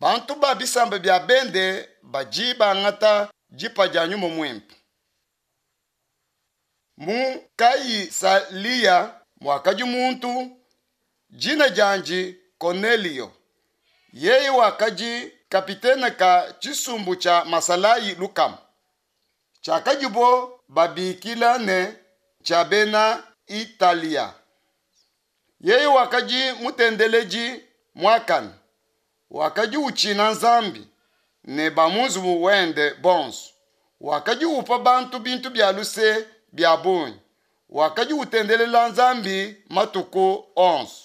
Bantu ba bisamba bia bende badi bangata dipa dia Nyuma Muimpe. Mu Kaisalia muakadi muntu, dina diandi Konelio, yeye wakadi kapitene ka tshisumbu tshia masalayi lukama, tshiakadibo babikila ne tshia Bena Italia. Yeye wakadi mutendeledi muakane, wakadi utshina Nzambi ne ba mu nzubu wende bonso, wakadi upa bantu bintu bia luse bia bungi, wakadi utendelela Nzambi matuku onso.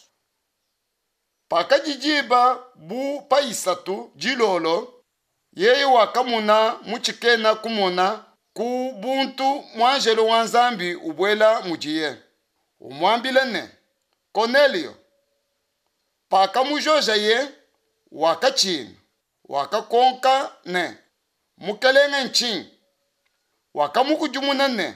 Pakadi diba bu pa isatu dilolo, yeye wakamona mu tshikena kumona ku buntu muanjelo wa Nzambi ubuela mudiye, umuambila ne, Konelio. Pakamujojaye, wakatshina, wakakonka ne, Mukelenge ntshinyi? Wakamukudimuna ne,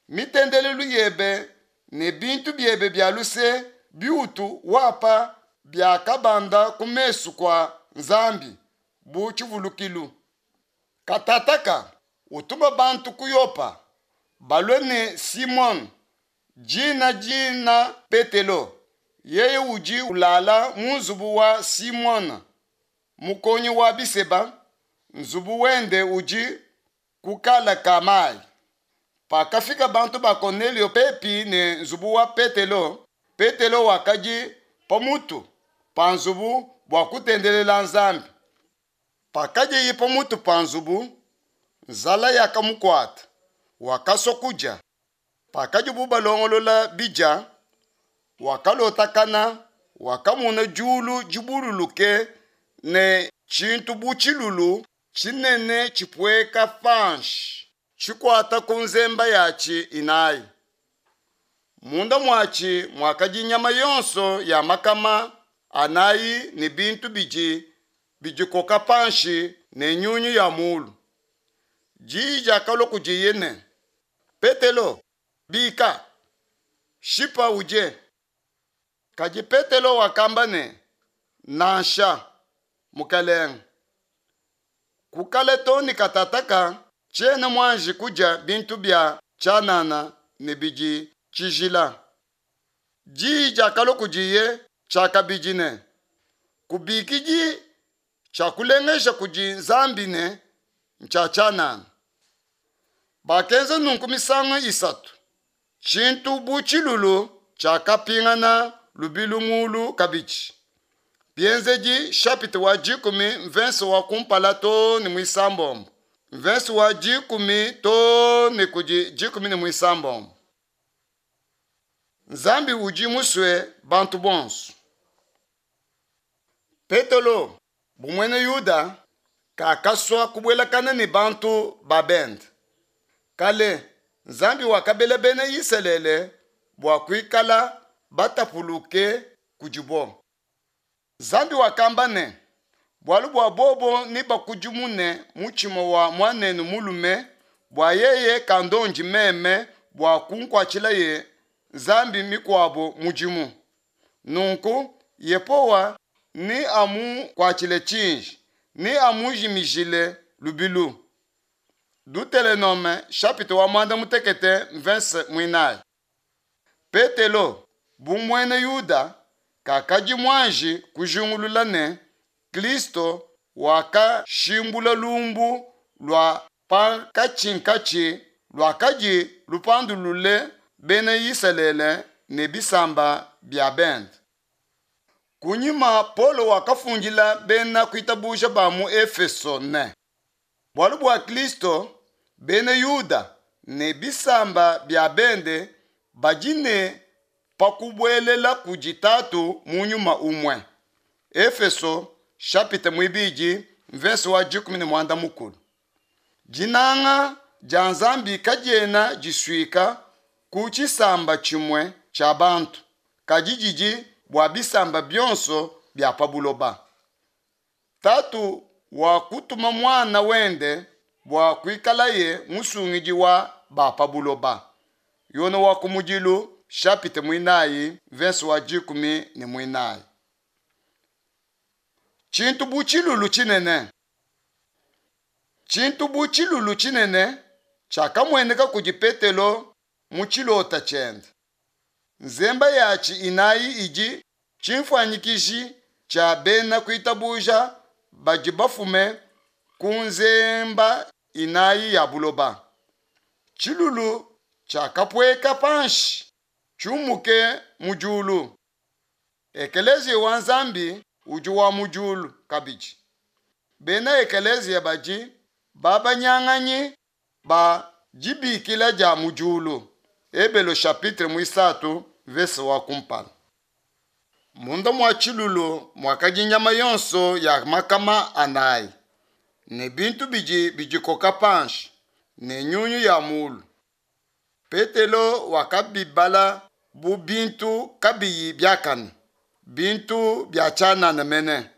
Mitendelelu yebe ne bintu biebe bia luse biutu wapa biakabanda ku mesu kua Nzambi bu tshivulukilu. Katataka utuma bantu ku Yopa, balue ne Simone, dina dina Petelo, yeye udi ulala mu nzubu wa Simone, mukonyi wa biseba, nzubu wende udi ku kala ka mayi. Pakafika bantu ba Konelio pepi ne nzubu wa Petelo, Petelo wakadi pa mutu pa nzubu bua kutendelela Nzambi. Pakadiye pa mutu pa nzubu, nzala yakamukuata, wakasua kudia. Pakadibu balongolola bidia, wakalotakana, wakamona diulu dibululuke ne tshintu bu tshilulu tshinene tshipueka panshi, tshikuata ku nzemba yatshi inayi. Munda muatshi muakadi nyama yonso ya makama anayi ne bintu bidi bidikoka panshi ne nyunyu ya mulu. Diyi diakalua kudiye ne, Petelo, bika, shipa udie. Kadi Petelo wakamba ne, Nansha, Mukelenge, ku kale too ne katataka tshiena muanji kudia bintu bia tshianana ne bidi tshijila. Diyi diakalua kudiye tshiakabidi ne, Kubikidi tshiakulengeja kudi Nzambi ne, ntshia tshianana. Bakenza nunku misangu isatu, tshintu bu tshilulu tshiakapingana lubilu mulu kabidi. Bienzedi shapita wa dikumi mvense wa kumpala too ne muisambombo, mvense wa dikumi too ne kudi dikumi ne muisambombo. Nzambi udi musue bantu bonso. Petelo, bu muena Yuda, kakasua kubuelakana ne bantu ba bende. Kale, Nzambi wakabela bena Isalele bua kuikala batapuluke kudibo. Nzambi wakamba ne, Bualu bua bobo nebakudimune mutshima wa muanenu mulume, bua yeye kandondi meme bua kunkuatshilaye nzambi mikuabo mudimu. Nunku Yehowa neamukuatshile tshiji, neamujimijile lubilu. Dutelenome shapita wa muanda mutekete mvense muinayi. Petelo, bu muena Yuda, kakadi muanji kujingulula ne, Kristo wakashimbula lumbu lua pankatshinkatshi luakadi lupandulule bena Isalele ne bisamba bia bende. Kunyima Paulo wakafundila bena kuitabuja ba mu Efeso ne, bualu bua Kristo, bena Yuda ne bisamba bia bende badi ne pa kubuelela kudi Tatu mu nyuma umue. Efeso shapita muibidi mvese wa dikumi ne muanda mukulu. Dinanga dia Nzambi kadiena disuika ku tshisamba tshimue tshia bantu, kadi didi bua bisamba bionso bia pa buloba. Tatu wakutuma muana wende bua kuikalaye musungidi wa ba pa buloba. Yone wa kumudilu shapita muinayi mvese wa dikumi ne muinayi. Tshintu bu tshilulu tshinene. Tshintu bu tshilulu tshinene tshiakamueneka kudi Petelo mu tshilota tshiende. Nzemba yatshi inayi idi tshinfuanyikiji tshia bena kuitabuja badi bafume ku nzemba inayi ya buloba. Tshilulu tshiakapueka panshi tshiumuke mu diulu. Ekeleziya wa Nzambi udi wa mu diulu kabidi. Bena ekeleziya badi babanyanganyi ba dibikila dia mu diulu. Ebelo chapitre muisatu mvese wa kumpala. Munda mua tshilulu muakadi nyama yonso ya makama anayi, ne bintu bidi bidikoka panshi, ne nyunyu ya mulu. Petelo wakabibala bu bintu kabiyi biakane, bintu bia tshianana mene.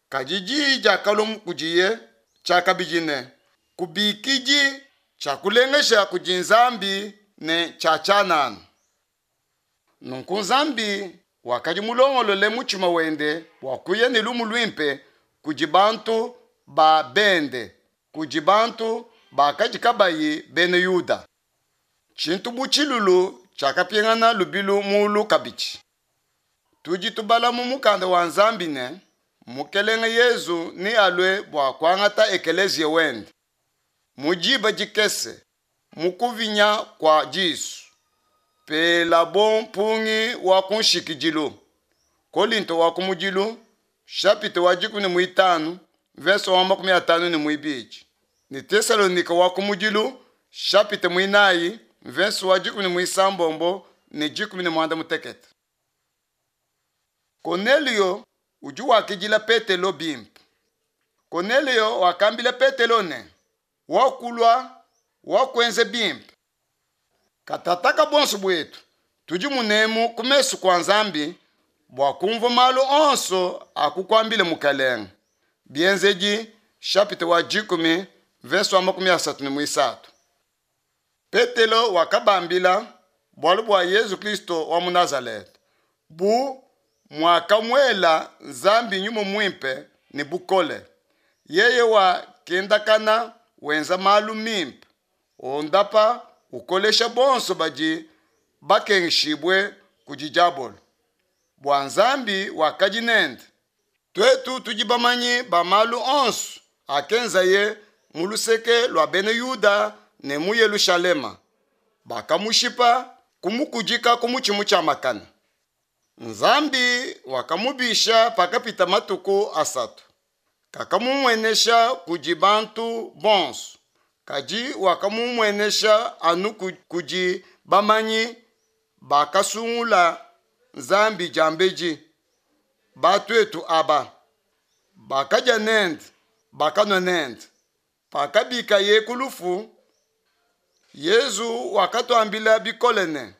Kadi diyi diakalua kudiye tshiakabidi ne, Kubikidi tshiakulengesha kudi Nzambi ne tshia tshianana. Nunku Nzambi wakadi mulongolole mutshima wende bua kuya ne lumu luimpe kudi bantu ba bende, kudi bantu bakadi kabayi bena Yuda. Tshintu bu tshilulu tshiakapingana lubilu mulu kabidi. Tudi tubala mu mukanda wa Nzambi ne, Mukelenge Yezu nealue bua kuangata ekeleziya wende mu diba dikese, mu kuvinya kua disu, pelabo mpungi wa kunshikidilu. Kolinto wa kumudilu, chapitre wa dikumi ne muitanu, verse wa makumi atanu ne muibidi, ne Tesalonike wa kumudilu, chapitre muinayi, verse wa dikumi ne muisambombo ne dikumi ne muanda mutekete. Konelio udi wakidila Petelo bimpe. Konelio wakambila Petelo ne, Wakulua, wakuenza bimpe. Katataka buonso buetu tudi munemu ku mesu kua Nzambi bua kumvua malu onso akukuambile Mukelenge. Bienzedi chapitre wa dikumi verse wa makumi asatu ne muisatu. Petelo wakabambila bualu bua Yezu Kristo wa mu Nazaleta, bu muakamuela Nzambi Nyuma Muimpe ne bukole, yeye wakendakana wenza malu mimpe, ondapa, ukolesha bonso badi bakengeshibue kudi diabolo, bua Nzambi wakadi nende. Tuetu tudi bamanyi ba malu onso akenzaye mu luseke lua bena Yuda ne mu Yelushalema, bakamushipa kumukudika ku mutshi mutshiamakane. Nzambi wakamubisha pakapita matuku asatu. Kakamumuenesha kudi bantu bonso, kadi wakamumuenesha anu kudi bamanyi bakasungula Nzambi diambedi, batuetu aba, bakadia nende, bakanua nende. Pakabikaye ku lufu, Yezu wakatuambila bikole ne,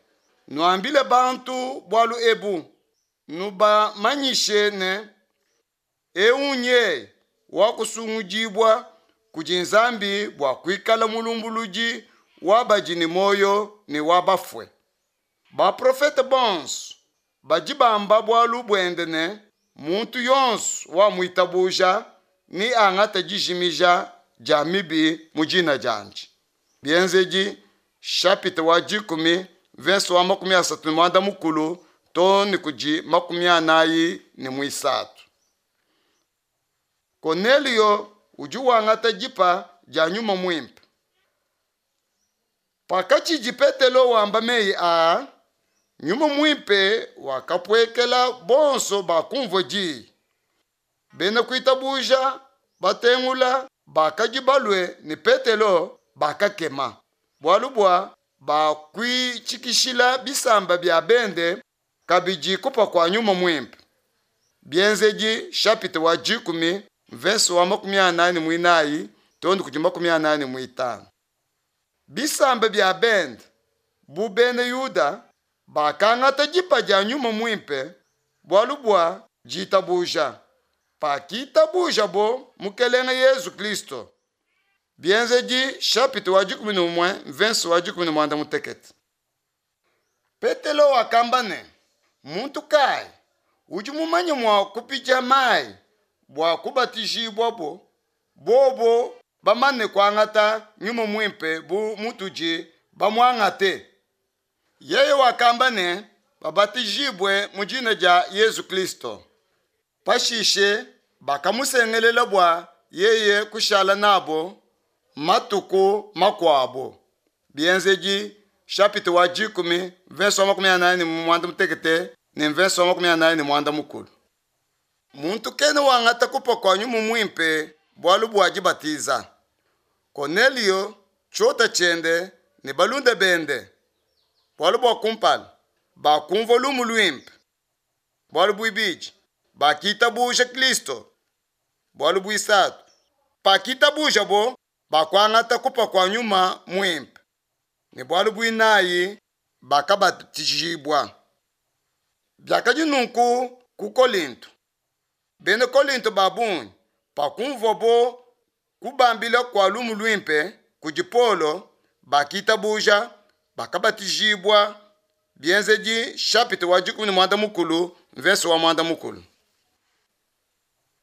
Nuambile bantu bualu ebu, nubamanyishe ne, eu nyeye wakusungudibua kudi Nzambi bua kuikala mulumbuludi wa badi ne muoyo ne wa bafue. Baprofete bonso badi bamba bualu buende ne, muntu yonso wamuitabuja neangate dijimija dia mibi mu dina diandi. Bienzedi chapitre wa dikumi verse wa makumi asatu ne muanda mukulu too ne kudi makumi anayi ne muisatu. Konelio udi wangata dipa dia Nyuma Muimpe. Pakatshidi Petelo wamba meyi aa, Nyuma Muimpe wakapuekela bonso bakumvua diyi. Bena kuitabuja batengula bakadi balue ne Petelo bakakema, bualu bua bakuitshikishila bisamba bia bende kabidi kupa kua Nyuma Muimpe. Bienzedi chapitre wa dikumi mvese wa makumi anayi ne muinayi too ne kudi makumi anayi ne muitanu. Bisamba bia bende bu bena Yuda bakangata dipa dia Nyuma Muimpe bualu bua ditabuja, pakitabujabo Mukelenge Yezu Kristo. Bienzedi chapitre wa dikumi ne umue mvese wa dikumi ne muanda mutekete. Petelo wakamba ne, muntu kayi udi mumanye mua kupidia mayi bua kubatijibuabo, bobo bamane kuangata Nyuma Muimpe bu mutudi bamuangate? Yeye wakamba ne, Babatijibue mu dina dia Yezu Kristo. Pashishe bakamusengelela bua yeye kushala nabo matuku makuabo. Bienzedi shapita wa dikumi mvese wa 45 ne mvese wa 45. Muntu kena wangata kupa kua Nyuma Muimpe bualu bua dibatiza. Konelio, tshiota tshiende ne balunda bende, bualu bua kumpala, bakumvua lumu luimpe. Bualu buibidi, bakitabuja Kristo. Bualu buisatu, pakitabujabo, bakuangata kupa kua Nyuma Muimpe. Ne bualu buinayi, bakabatijibua. Biakadi nunku ku Kolinto. Bena Kolinto ba bungi, pakumvuabo kubambila kua lumu luimpe kudi Paulo, bakitabuja, bakabatijibua. Bienzedi shapita wa 16 mvese wa 10.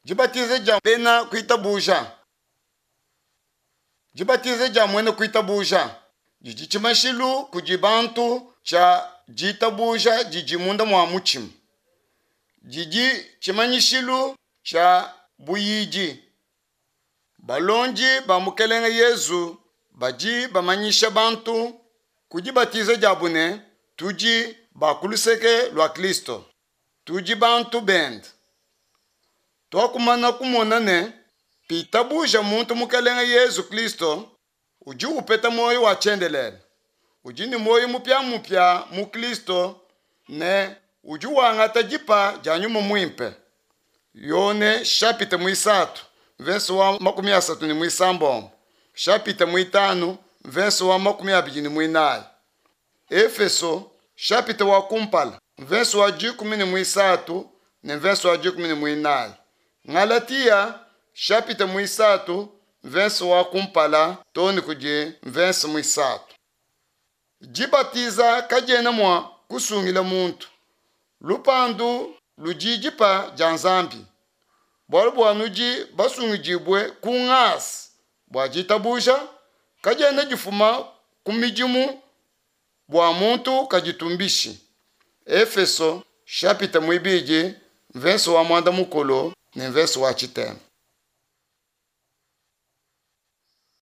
Dibatiza dia bena kuitabuja. Dibatiza dia muena kuitabuja didi tshimashilu kudi bantu tshia ditabuja didi munda mua mutshima. Didi tshimanyishilu tshia buyidi. Balondi ba Mukelenge Yezu badi bamanyisha bantu ku dibatiza diabu ne, tudi ba ku luseke lua Kristo, tudi bantu bende. Tuakumana kumona ne, pitabuja muntu Mukelenge Yezu Kristo, udi upeta muoyo wa tshiendelele, udi ne muoyo mupiamupia mu Kristo ne udi wangata dipa dia Nyuma Muimpe. Yone shapita muisatu mvese wa 36, shapita muitanu mvese wa 24. Efeso shapita wa kumpala mvese wa 13 ne mvese wa 14. Galatia shapita muisatu mvese wa kumpala too ne kudi mvese muisatu. Dibatiza kadiena mua kusungila muntu. Lupandu ludi dipa dia Nzambi. Bualu bua nudi basungidibue ku ngasa bua ditabuja, kadiena difuma ku midimu bua muntu kaditumbishi. Efeso shapita muibidi mvese wa 10 ne mvese wa tshitema.